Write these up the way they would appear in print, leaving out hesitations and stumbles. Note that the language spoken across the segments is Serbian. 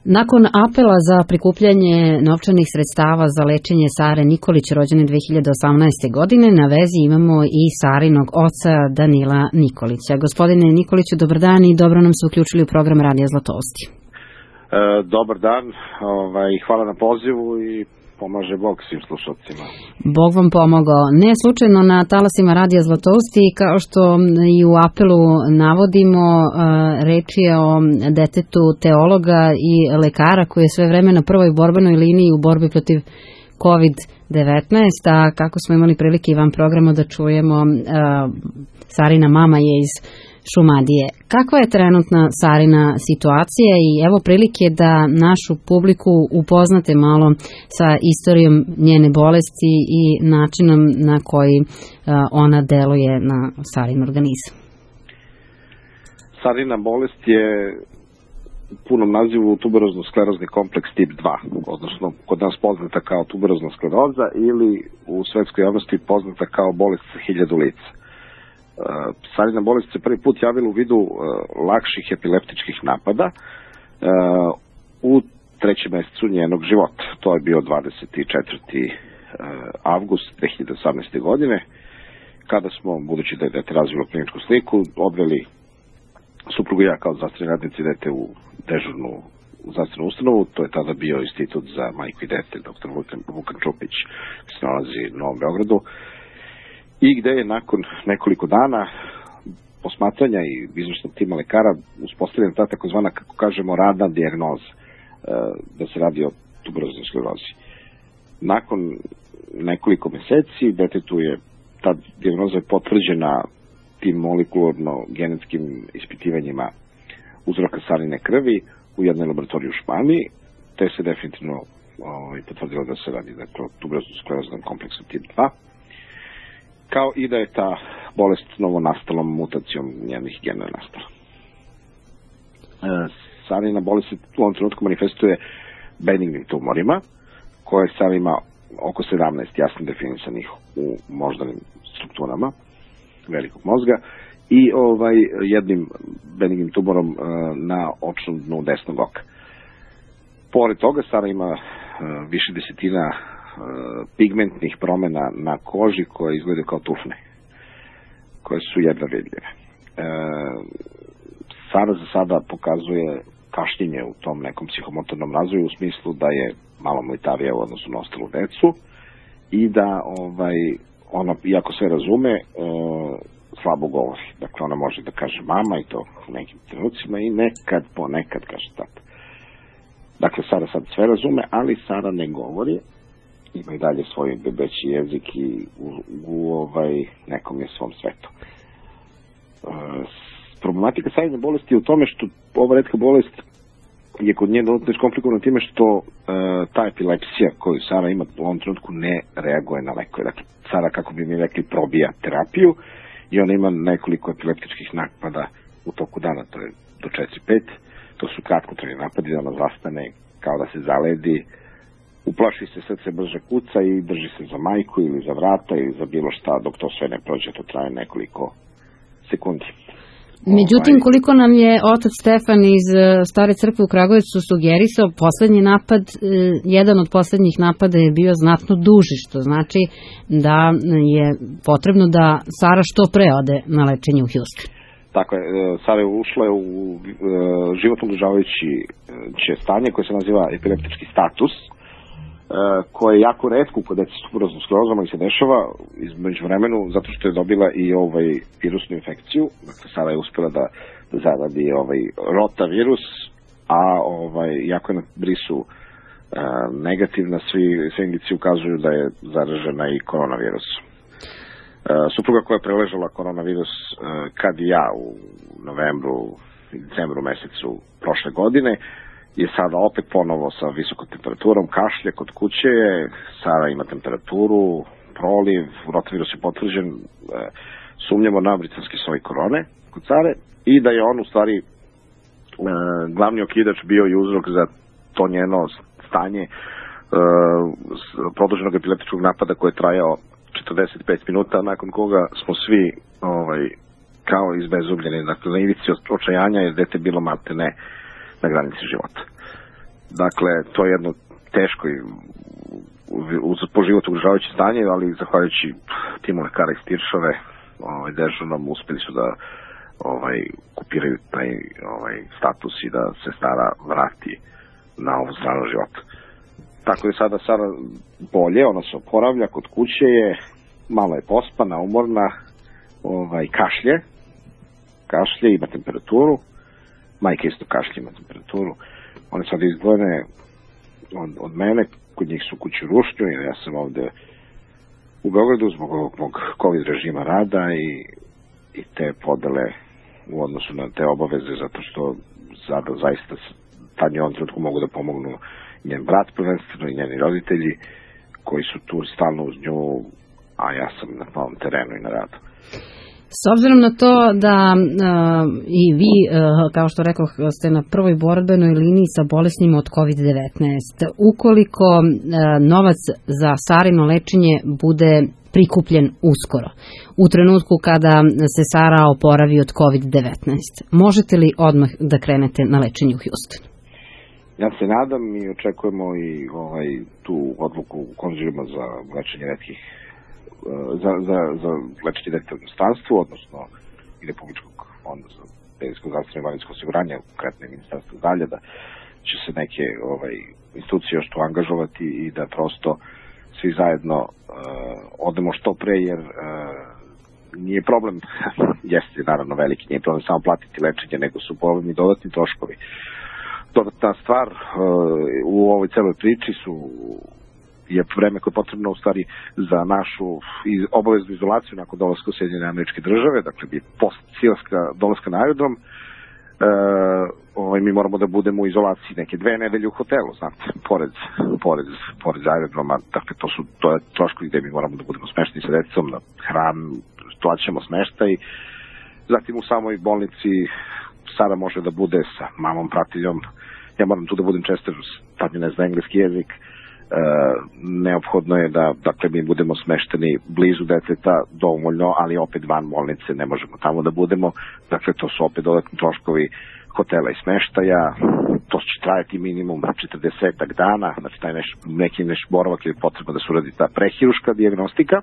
Nakon apela za prikupljanje novčanih sredstava za lečenje Sare Nikolić, rođene 2018. godine, na vezi imamo i Sarinog oca Danila Nikolića. Gospodine Nikoliću, dobar dan i dobro nam se uključili u program Radija Zlatousti. Dobar dan, hvala na pozivu i pomaže Bog svim slušalcima. Bog vam pomogao. Ne slučajno na talasima Radija Zlatousti, kao što i u apelu navodimo, reč je o detetu teologa i lekara koji je sve vreme na prvoj borbenoj liniji u borbi protiv COVID-19, a kako smo imali prilike i van programa da čujemo, Sarina mama je iz Šumadije. Kakva je trenutna Sarina situacija i evo prilike da našu publiku upoznate malo sa istorijom njene bolesti i načinom na koji ona deluje na Sarin organizam? Sarina bolest je u punom nazivu tuberozno-sklerozni kompleks tip 2, odnosno kod nas poznata kao tuberozna skleroza ili u svetskoj javnosti poznata kao bolest sa 1000 lica. Sarina bolest se prvi put javila u vidu lakših epileptičkih napada u 3. mesecu njenog života. To je bio 24. avgust 2018. godine, kada smo, budući da je dete razvilo kliničku sliku, odveli suprugu i ja kao zdravstveni radnici dete u dežurnu zdravstvenu ustanovu. To je tada bio Institut za majku i dete, dr. Vukan Čupić, koji se nalazi u Novom Beogradu, i gde je nakon nekoliko dana posmatranja i izvršnog tima lekara uspostavljena ta takozvana, kako kažemo, radna dijagnoza, da se radi o tuberoznoj sklerozi. Nakon nekoliko meseci detetu je ta dijagnoza potvrđena tim molekularno-genetskim ispitivanjima uzroka sarine krvi u jednoj laboratoriji u Španiji, te se definitivno potvrdilo da se radi o tuberozno-skleroznom kompleksu tip 2, kao i da je ta bolest novonastalom mutacijom njenih gena nastala. Sarina bolest se u ovom trenutku manifestuje benignim tumorima, koje sad ima oko 17 jasno definisanih u moždanim strukturama velikog mozga i jednim benignim tumorom na očnom dnu desnog oka. Pored toga, Sara ima više desetina pigmentnih promjena na koži koje izgledaju kao tufne, koje su jedva vidljive. Sara za sada pokazuje kašnjenje u tom nekom psihomotornom razvoju, u smislu da je malo mlitavija u odnosu na ostalu decu i da ona, iako sve razume, slabo govori. Dakle, ona može da kaže mama, i to u nekim trenucima, i ponekad kaže tata. Dakle, Sara sad sve razume, ali Sara ne govori, ima i dalje svoj bebeći jezik i u nekom je svom svetu. Problematika Sarine bolesti je u tome što ova retka bolest je kod nje dodatno iskomplikovana time što ta epilepsija koju Sara ima u ovom trenutku ne reaguje na lekove. Dakle, Sara, kako bi mi rekli, probija terapiju i ona ima nekoliko epileptičkih napada u toku dana, to je do 4-5. To su kratkotrajni napadi, da ona zastane kao da se zaledi, uplaši se, srce brže kuca i drži se za majku ili za vrata ili za bilo šta, dok to sve ne prođe, to traje nekoliko sekundi. Međutim, koliko nam je otac Stefan iz Stare crkve u Kragujevcu sugerisao, poslednji napad, jedan od poslednjih napada je bio znatno duži, što znači da je potrebno da Sara što pre ode na lečenje u Houston. Tako je, Sara je ušla u životno ugrožavajuće stanje koje se naziva epileptički status, koje je jako retko kod dece s tuberoznom sklerozom, ali se dešava između vremenu zato što je dobila i virusnu infekciju. Dakle, Sara je uspela da zaradi rotavirus, a jako je na brisu negativna, sve indicije ukazuju da je zaražena i koronavirusom. Supruga koja je preležala koronavirus kad i ja u novembru i decembru mesecu prošle godine, je sada opet ponovo sa visokom temperaturom, kašlje kod kuće, Sara ima temperaturu, proliv, rotavirus je potvrđen, sumnjamo na britanski soj korone kod Sare i da je on u stvari glavni okidač bio i uzrok za to njeno stanje produženog epileptičkog napada koji je trajao 45 minuta, nakon koga smo svi kao izbezubljeni, dakle na ivici očajanja, jer dete bilo maltene na granici života. Dakle, to je jedno teško i po život ugrožavajuće stanje, ali zahvaljujući timu lekara iz Tiršove, dežurnom, uspeli su da kupiraju taj status i da se Sara vrati na ovu stranu života. Tako je sada Sara bolje, ona se oporavlja, kod kuće je, malo je pospana, umorna, kašlje, ima temperaturu, majka isto kašlje, ima temperaturu, one sad izdvojene od mene, kod njih su kuću rušnju, jer ja sam ovde u Beogradu zbog mog COVID režima rada i te podele u odnosu na te obaveze, zato što sada zaista tad je ovom trenutku mogu da pomognu njen brat prvenstveno i njeni roditelji koji su tu stalno uz nju, a ja sam na novom terenu i na radu. S obzirom na to da i vi, kao što rekoh, ste na prvoj borbenoj liniji sa bolesnima od COVID-19, ukoliko novac za Sarino lečenje bude prikupljen uskoro, u trenutku kada se Sara oporavi od COVID-19, možete li odmah da krenete na lečenje u Houstonu? Ja se nadam i očekujemo i tu odluku konzilima za lečenje retkih za lečenje dece u inostranstvu, odnosno i Republičkog fonda za penzijsko zdravstveno i invalidsko osiguranje, konkretno i Ministarstvo zdravlja, da će se neke institucije još tu angažovati i da prosto svi zajedno odemo što pre, jer nije problem, jeste naravno veliki, nije problem samo platiti lečenje, nego su problem i dodatni troškovi. Dodatna stvar u ovoj celoj priči je vreme koje je potrebno u stvari za našu obaveznu izolaciju nakon dolaska u Sjedinjene Američke Države, dakle post dolaska na aerodrom, mi moramo da budemo u izolaciji neke 2 nedelje u hotelu, znate, pored aerodroma, dakle to je troškovi gde mi moramo da budemo smešteni sa decom, na hranu, plaćamo smeštaj, zatim u samoj bolnici Sara može da bude sa mamom pratiljom, ja moram tu da budem često, tad mi ne zna engleski jezik, neophodno je da mi budemo smešteni blizu deteta dovoljno, ali opet van bolnice ne možemo tamo da budemo, dakle to su opet dodatni troškovi hotela i smeštaja, to će trajati minimum 40 dana, znači taj neki boravak je potrebno da se uradi ta prehiruška dijagnostika,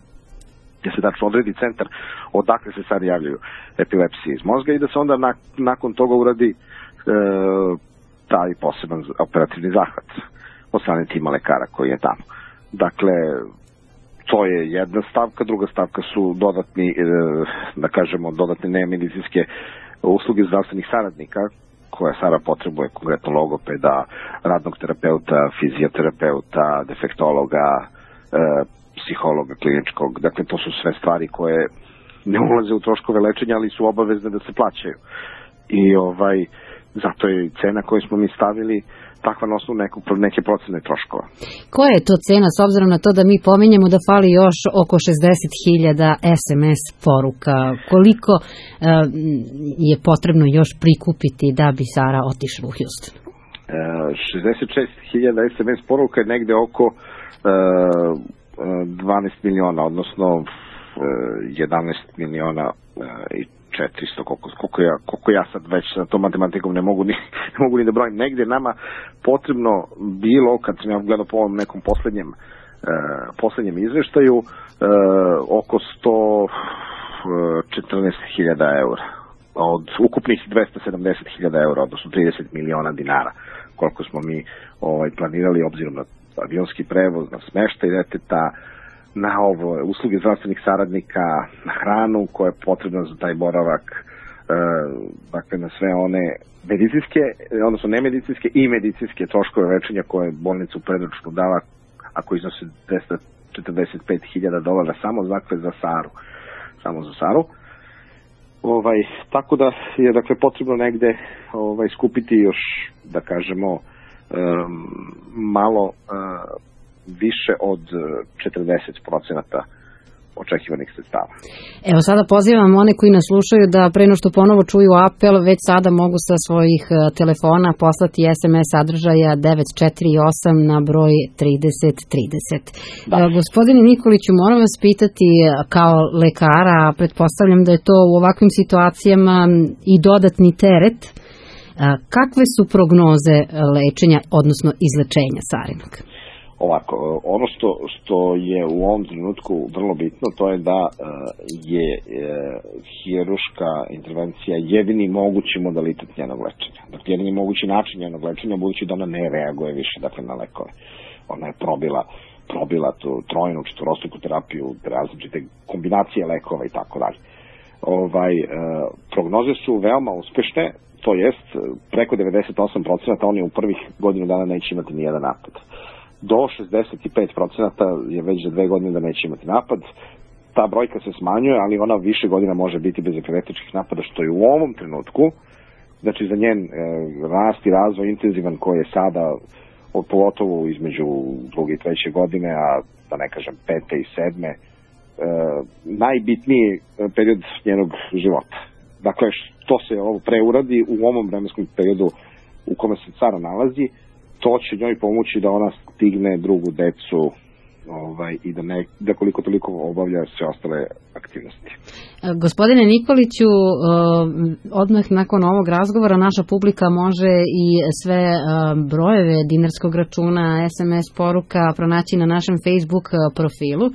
gdje se tačno odredi centar odakle se sad javljaju epilepsije iz mozga i da se onda nakon toga uradi taj poseban operativni zahvat od strane tima lekara koji je tamo. Dakle, to je jedna stavka, druga stavka su dodatne nemedicinske usluge zdravstvenih saradnika koje Sara potrebuje, konkretno logopeda, radnog terapeuta, fizioterapeuta, defektologa, psihologa kliničkog. Dakle, to su sve stvari koje ne ulaze u troškove lečenja, ali su obavezne da se plaćaju. I zato je cena koju smo mi stavili takva na osnovu neke procene troškova. Koja je to cena, s obzirom na to da mi pominjemo da fali još oko 60.000 SMS poruka? Koliko je potrebno još prikupiti da bi Sara otišla u Houston? 66.000 SMS poruka je negde oko 12 miliona, odnosno 11 miliona i 400, koliko ja sad već sa tom matematikom ne mogu ni da brojim. Negde nama potrebno bilo, kad sam ja gledao po ovom nekom poslednjem izveštaju, oko 114.000 eura. Od ukupnih 270.000 eura, odnosno 30 miliona dinara, koliko smo mi planirali obzirom na avionski prevoz, na smeštaj deteta, na usluge zdravstvenih saradnika, na hranu koja je potrebna za taj boravak, dakle na sve one medicinske, odnosno nemedicinske i medicinske troškove lečenja koje bolnica u predručnu dala, ako iznose $245.000 samo za Saru. Tako da je potrebno negde skupiti još, da kažemo, malo više od 40% očekivanih sredstava. Evo sada pozivam one koji nas slušaju da pre no što ponovo čuju apel, već sada mogu sa svojih telefona poslati SMS sadržaja 948 na broj 3030. Gospodine Nikoliću, moram vas pitati kao lekara, pretpostavljam da je to u ovakvim situacijama i dodatni teret, Kakve su prognoze lečenja, odnosno izlečenja sarinog? Ovako, ono što je u ovom trenutku vrlo bitno, to je da je hiruška intervencija jedini mogući modalitet njenog lečenja. Dakle, jedini mogući način njenog lečenja, budući da ona ne reaguje više na lekove. Ona je probila tu trojnu, četvorostruku terapiju, različite kombinacije lekova i tako dalje. Prognoze su veoma uspešne, to jest preko 98% oni u prvih godinu dana neće imati nijedan napad. Do 65% je već za 2 godine da neće imati napad. Ta brojka se smanjuje, ali ona više godina može biti bez epileptičkih napada, što je u ovom trenutku, znači za njen rast i razvoj intenzivan koji je sada, pogotovo između 2. i 3. godine, a da ne kažem 5. i 7. Najbitniji period njenog života. Dakle, što se ovo preuradi u ovom vremenskom periodu u kome se Sara nalazi, to će njoj pomoći da ona stigne drugu decu i da koliko toliko obavlja sve ostale aktivnosti. Gospodine Nikoliću, odmah nakon ovog razgovora naša publika može i sve brojeve dinarskog računa, SMS poruka pronaći na našem Facebook profilu,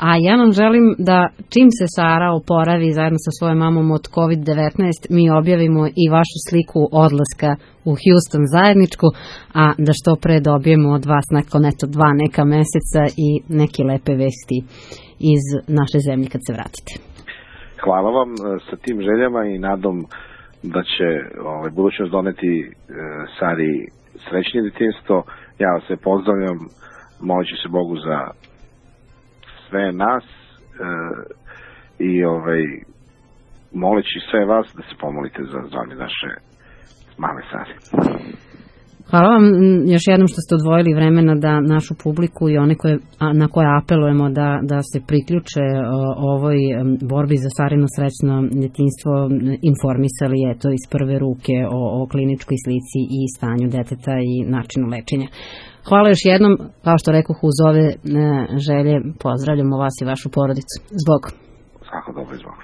a ja vam želim da čim se Sara oporavi zajedno sa svojom mamom od COVID-19, mi objavimo i vašu sliku odlaska u Houston zajedničku, a da što pre dobijemo od vas nakon 2 neka meseca i neke lepe vesti iz naše zemlje kad se vratite. Hvala vam sa tim željama i nadom da će budućnost doneti Sari srećnije detinjstvo. Ja vas se pozdravljam, molit ću se Bogu za sve nas i moleći sve vas da se pomolite za zdravlje naše male Sari. Hvala vam još jednom što ste odvojili vremena da našu publiku i one na koje apelujemo da se priključe ovoj borbi za Sarino srećno detinjstvo informisali iz prve ruke o kliničkoj slici i stanju deteta i načinu lečenja. Hvala još jednom, kao što rekoh, uz ove želje pozdravljamo vas i vašu porodicu. Zbog. Svako dobro, zbog.